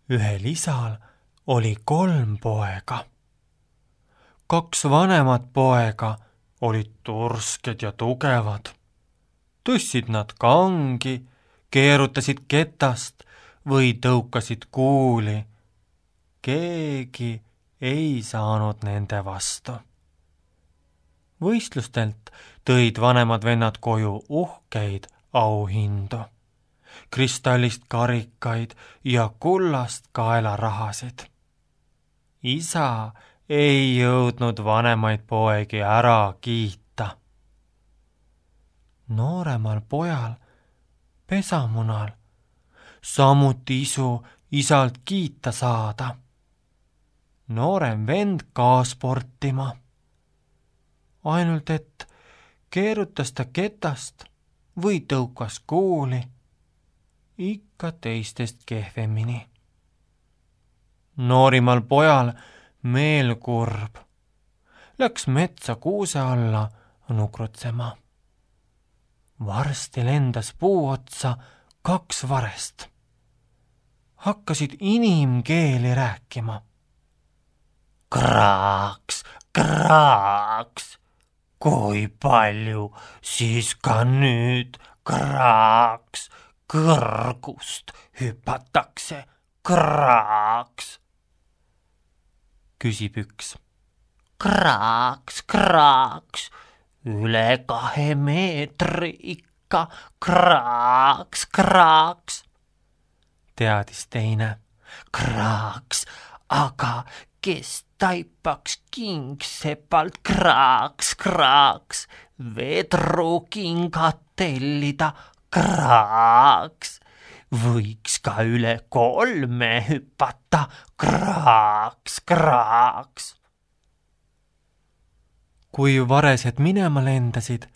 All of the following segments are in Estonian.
Ühel isal oli 3 poega. 2 vanemat poega olid tursked ja tugevad. Tõstsid nad kangi, keerutasid ketast või tõukasid kuuli. Keegi ei saanud nende vastu. Võistlustelt tõid vanemad vennad koju uhkeid auhindu, kristallist karikaid ja kullast kaelarahasid. Isa ei jõudnud vanemaid poegi ära kiita. Nooremal pojal, pesamunal, samuti isu isalt kiita saada. Noorem vend ka sportima. Ainult et keerutas ta ketast või tõukas kuuli, ikka teistest kehvemini. Noorimal pojal meel kurb. Läks metsa kuuse alla nukrutsema. Varsti lendas puu otsa 2 varest. Hakkasid inimkeeli rääkima. Kraaks, kraaks, kui palju siis ka nüüd kraaks kõrgust hüpatakse, kraaks, küsib üks. Kraaks, kraaks, üle 2 meetri ikka, kraaks, kraaks, teadis teine. Kraaks, aga kes taipaks kingsepalt, kraaks, kraaks, vedrukingad tellida, kraaks, võiks ka üle 3 hüpata, kraaks, kraaks. Kui varesed minema lendasid,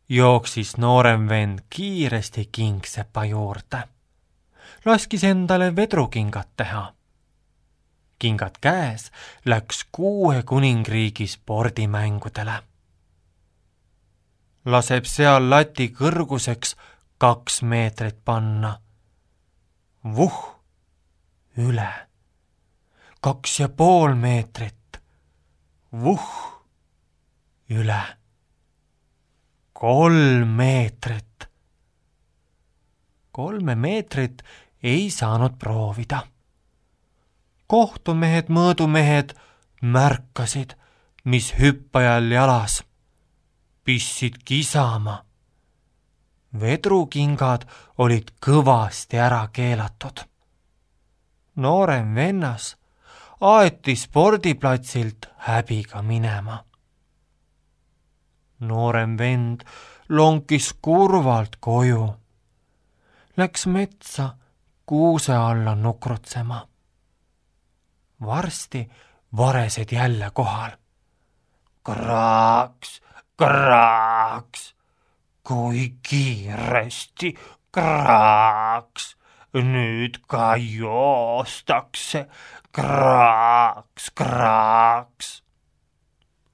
jooksis noorem vend kiiresti kingsepa juurde. Laskis endale vedrukingad teha. Kingad käes läks 6 kuningriigi spordimängudele. Laseb seal lati kõrguseks 2 meetrit panna. Vuh, üle. 2,5 meetrit. Vuh, üle. 3 meetrit. 3 meetrit ei saanud proovida. Kohtumehed, mõõdumehed märkasid, mis hüppajal jalas. Pissid kisama. Vedrukingad olid kõvasti ära keelatud. Noorem vennas aeti spordiplatsilt häbiga minema. Noorem vend lonkis kurvalt koju. Läks metsa kuuse alla nukrutsema. Varsti varesed jälle kohal. Kraaks, kraaks, kui kiiresti, kraaks, nüüd ka joostakse, kraaks, kraaks,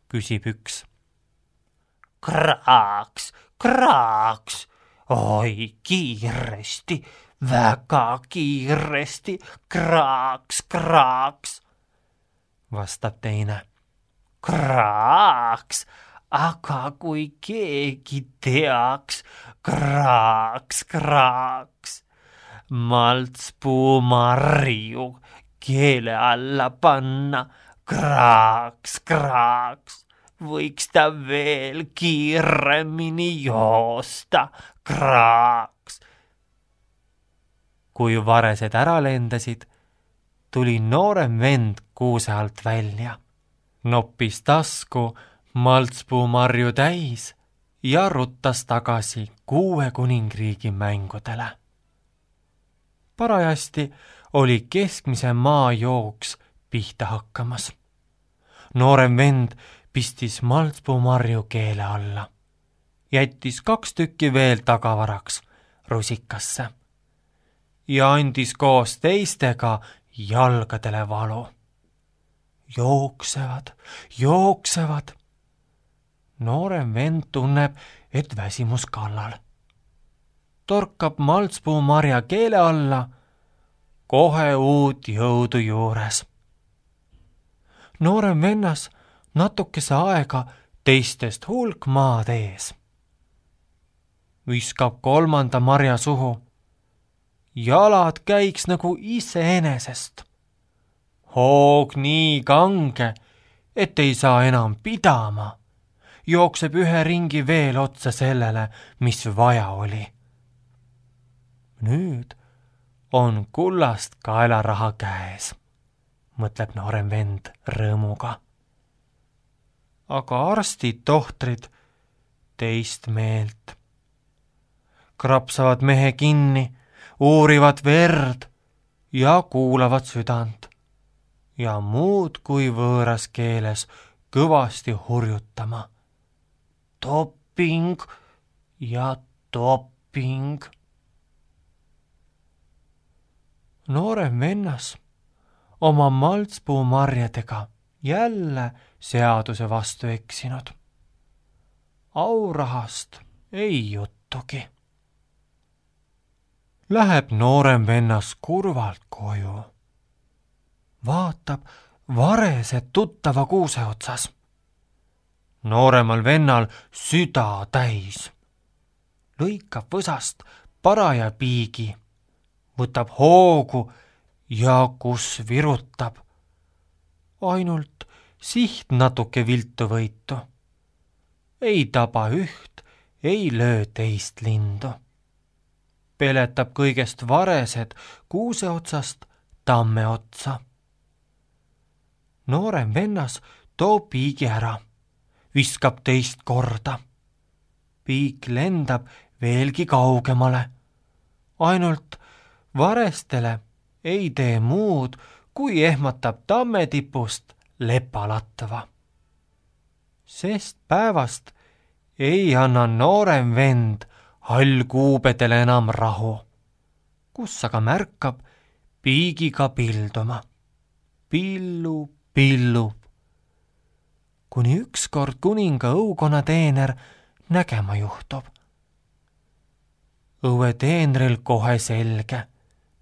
küsib üks. Kraaks, kraaks, oi kiiresti, väga kiiresti, kraaks, kraaks, vastab teine. Kraaks, aga kui keegi teaks, kraaks, kraaks, maltspuumarju keele alla panna, kraaks, kraaks, võiks ta veel kiiremini joosta, kraaks. Kui varesed ära lendasid, tuli noorem vend kuuse alt välja. Noppis tasku maltspuumarju täis ja ruttas tagasi 6 kuningriigi mängudele. Parajasti oli keskmise maa jooks pihta hakkamas. Noorem vend pistis maltspuumarju keele alla. Jättis 2 tükki veel tagavaraks rusikasse ja andis koos teistega jalgadele valu. Jooksevad, jooksevad. Noorem vend tunneb, et väsimus kallal. Torkab maltspuumarja keele alla, kohe uut jõudu juures. noorem vennas natukese aega teistest hulk maad ees. Viskab 3. marja suhu. Jalad käiks nagu iseenesest. Hoog nii kange, et ei saa enam pidama. Jookseb ühe ringi veel otsa sellele, mis vaja oli. Nüüd on kullast kaelaraha käes, mõtleb noorem vend rõõmuga. Aga arstid, tohtrid teist meelt. Krapsavad mehe kinni, uurivad verd ja kuulavad südant ja muud kui võõras keeles kõvasti hurjutama. Doping ja doping. Noorem vennas oma maltspuumarjadega jälle seaduse vastu eksinud. Aurahast ei juttugi. Läheb noorem vennas kurvalt koju. Vaatab varesed tuttava kuuse otsas. Nooremal vennal süda täis. Lõikab võsast paraja piigi, võtab hoogu ja kus virutab. Ainult siht natuke viltu võitu. Ei taba üht, ei löö teist lindu. Peletab kõigest varesed kuuse otsast tamme otsa. Noorem vennas toob piigi ära, viskab teist korda. Piik lendab veelgi kaugemale. Ainult varestele ei tee muud, kui ehmatab tamme tipust lepalatva. Sest päevast ei anna noorem vend hallkuubedele enam rahu, kus aga märkab piigiga pilduma. Pillub, kuni ükskord kuninga õukonna teener nägema juhtub. Õue teenril kohe selge,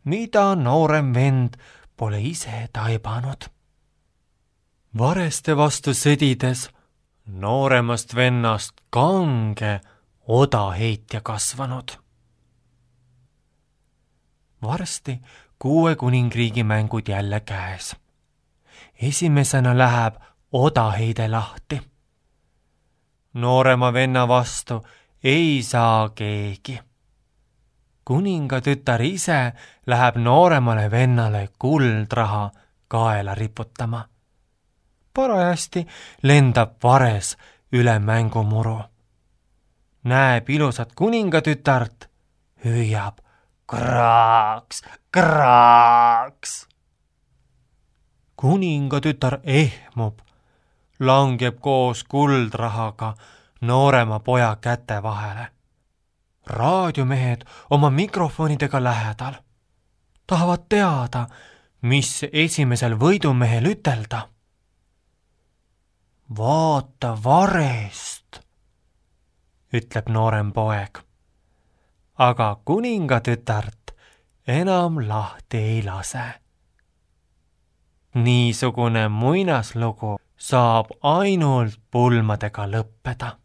mida noorem vend pole ise taibanud. Vareste vastu sõdides nooremast vennast kange odaheitja kasvanud. Varsti 6 kuningriigi mängud jälle käes. Esimesena läheb odaheide lahti. Noorema venna vastu ei saa keegi. Kuninga tütar ise läheb nooremale vennale kuldraha kaela riputama. Parajasti lendab vares üle mängumuru. Näeb ilusat kuningatütart, hüüab kraaks, kraaks. Kuningatütar ehmub, langeb koos kuldrahaga noorema poja käte vahele. Raadiomehed oma mikrofonidega lähedal. Tahavad teada, mis esimesel võidumehel ütelda. Vaata varest, ütleb noorem poeg. Aga kuningatütart enam lahti ei lase. Niisugune muinaslugu saab ainult pulmadega lõppeda.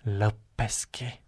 Lõppeski.